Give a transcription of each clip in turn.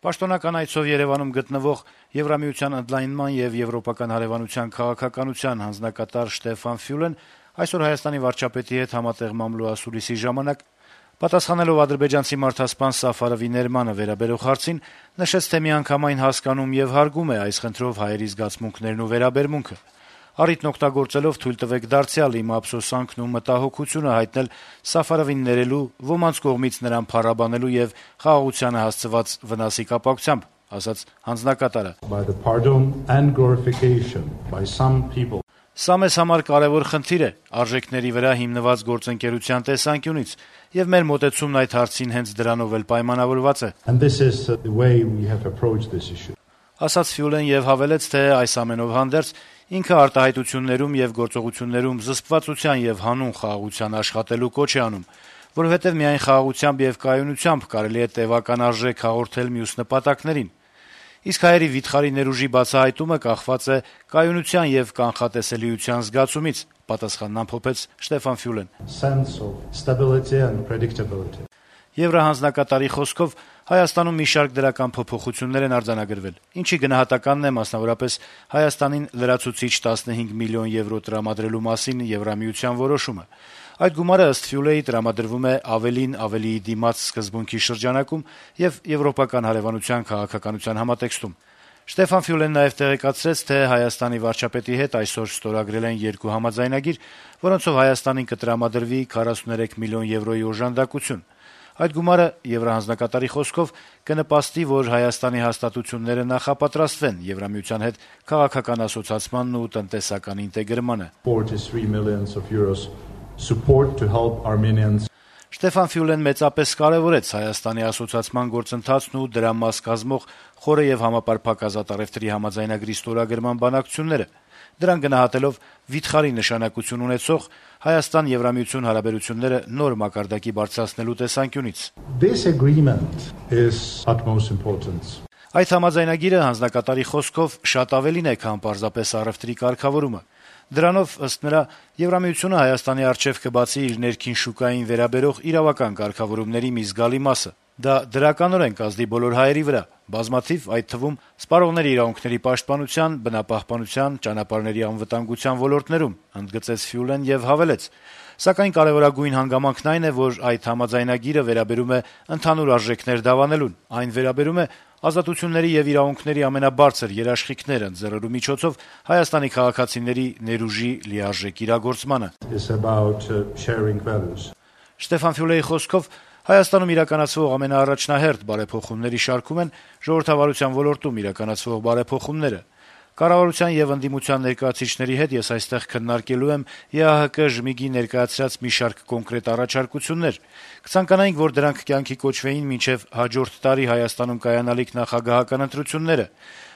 Պաշտոնական այցով Երևանում գտնվող Եվրամիության ընդլայնման եւ եվրոպական հարեւանության քաղաքականության հանձնակատար Շտեֆան Ֆյուլեն այսօր Հայաստանի վարչապետի հետ համատեղ մամլո-ասուլիսի ժամանակ պատասխանելով ադրբեջանցի մարդասպան Սաֆարովի ներմանը վերաբերող հարցին նշեց, թե միանգամայն հասկանում եւ հարգում է այս խնդրով հայերի զգացմունքներն ու վերաբերմունքը։ Առիթն օգտագործելով թույլ տվեք դարձյալ իմ ափսոսանքն ու մտահոգությունը հայտնել Սաֆարովին ներելու, ոմանց կողմից նրան փառաբանելու եւ խաղաղությանը հասցված վնասի կապակցությամբ, ասաց հանձնակատարը։ Սա մեզ համար կարեւոր խնդիր է արժեքների վրա հիմնված գործընկերության տեսանկյունից, եւ մեր մոտեցումն այդ հարցին հենց դրանով էլ պայմանավորված է։ Ասաց Ֆյուլեն եւ հավելեց, թե այս ամենով հանդերձ ինքը արտահայտություններում եւ գործողություններում զսպվածության եւ հանուն խաղաղության աշխատելու կոչ է անում, որովհետեւ միայն խաղաղությամբ եւ կայունությամբ կարելի է տեւական արժեք հաղորդել մյուս նպատակներին։ Իսկ հայերի վիթխարի ներուժի բացահայտումը կախված է կայունության եւ կանխատեսելիության զգացումից, պատասխանն ամփոփեց Շտեֆան Ֆյուլեն։ Եվրահանձնակատարի խոսքով Հայաստանում մի շարք դրական փոփոխություններ են արձանագրվել, ինչի գնահատականն է մասնավորապես Հայաստանին լրացուցիչ 15 միլիոն եվրո տրամադրելու մասին Եվրամիության որոշումը։ Այդ գումարը ըստ Ֆյուլեի տրամադրվում է ավելիի դիմաց սկզբունքի շրջանակում եւ եվրոպական հարեւանության քաղաքականության համատեքստում։ Շտեֆան Ֆյուլեն նաեւ տեղեկացրեց, թե Հայաստանի վարչապետի հետ այսօր ստորագրել են երկու համաձայնագիր, որոնցով Հայաստանին կտրամադրվի 43 միլիոն եվրոյի օժանդակություն։ Այդ գումարը եվրահանձնակատարի խոսքով կնպաստի, որ Հայաստանի հաստատությունները նախապատրաստվեն Եվրամիության հետ քաղաքական ասոցացմանն ու տնտեսական ինտեգրմանը։ Շտեֆան Ֆյուլեն մեծապես կարեւորեց Հայաստանի ասոցացման գործընթացն ու դրա մաս կազմող խորը եւ համապարփակ ազատ առևտրի համաձայնագրի ստորագրման բանակցությունները, դրան գնահատելով վիթխարի նշանակություն ունեցող Հայաստան-Եվրամիություն հարաբերությունները նոր մակարդակի բարձրացնելու տեսանկյունից։ Այդ համաձայնագիրը հանձնակատարի խոսքով շատ ավելին է, քան պարզապես առևտրի կարգավորումը։ Դրանով, ըստ նրա, Եվրամիությունը Հայաստանի առջեւ կբացի իր ներքին շուկային վերաբերող իրավական կարգավորումների մի զգալի մասը։ Դա դրականորեն կազդի բոլոր հայերի վրա, բազմաթիվ, այդ թվում սպառողների իրավունքների պաշտպանության, բնապահպանության, ճանապարհների անվտանգության ոլորտներում, ընդգծեց Ֆյուլեն եւ հավելեց. Սակայն կարեւորագույն հանգամանքն այն է, որ այդ համաձայնագիրը վերաբերում է ընդհանուր արժեքներ դավանելուն, այն վերաբերում է ազատությունների եւ իրավունքների ամենաբարձր երաշխիքները ձեռելու միջոցով Հայաստանի քաղաքացիների ներուժի լիարժեք իրագործմանը։ Շտեֆան Ֆյուլեի խոսքով Հայաստանում իրականացվող ամենաառաջնահերթ բարեփոխումների շարքում են ժողովրդավարության ոլորտում իրականացվող բարեփոխումները։ Կառավարության եւ ընդդիմության ներկայացուցիչների հետ ես այստեղ քննարկելու եմ ԵԱՀԿ ժմիգի ներկայացրած մի շարք կոնկրետ առաջարկություններ։ Կցանկանայինք, որ դրանք կյանքի կոչվեին մինչեւ հաջորդ տարի Հայաստանում կայանալիք նախագահական ընտրությունները։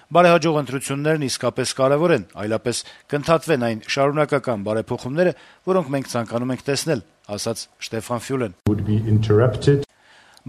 Բարեհաջող ընտրություններն իսկապես կարեւոր են, այլապես կընդհատվեն այն շարունակական բարեփոխումները, որոնք մենք ցանկանում ենք տեսնել, ասաց Շտեֆան Ֆյուլեն։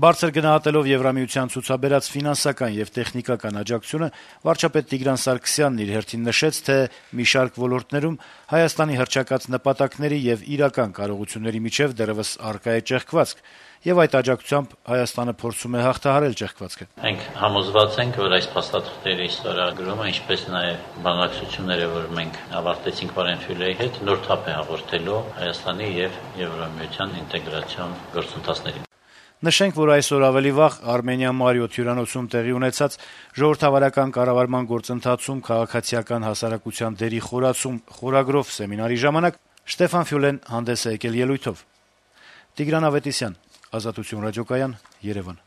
Բարձր գնահատելով Եվրամիության ցուցաբերած ֆինանսական եւ տեխնիկական աջակցությունը, վարչապետ Տիգրան Սարգսյանն իր հերթին նշեց, թե մի շարք ոլորտներում Հայաստանի հռչակած նպատակների եւ իրական կարողությունների միջեւ դեռեւս առկա է ճեղքվածք, եւ այդ աջակցությամբ Հայաստանը փորձում է հաղթահարել ճեղքվածքը։ Մենք համոզված ենք, որ այս փաստաթղթերի ստորագրումը, ինչպես նաեւ բանակցությունները, որ մենք ավարտեցինք Վարեն Ֆյուլեի հետ, նոր թափ է հաղորդելու Հայաստանի եւ Եվրամիության ինտեգրացիոն գործընթացներին։ Նշենք, որ այսօր ավելի վաղ Արմենիա Մարիոթ հյուրանոցում տեղի ունեցած ժողովրդավարական կառավարման գործընթացում քաղաքացիական հասարակության դերի խորացում խորագրով սեմինարի ժամանակ Շտեֆան Ֆյուլեն հանդես է եկել ելույթով։ Տիգրան Ավետիսյան, Ազատություն ռադիոկայան, Երևան։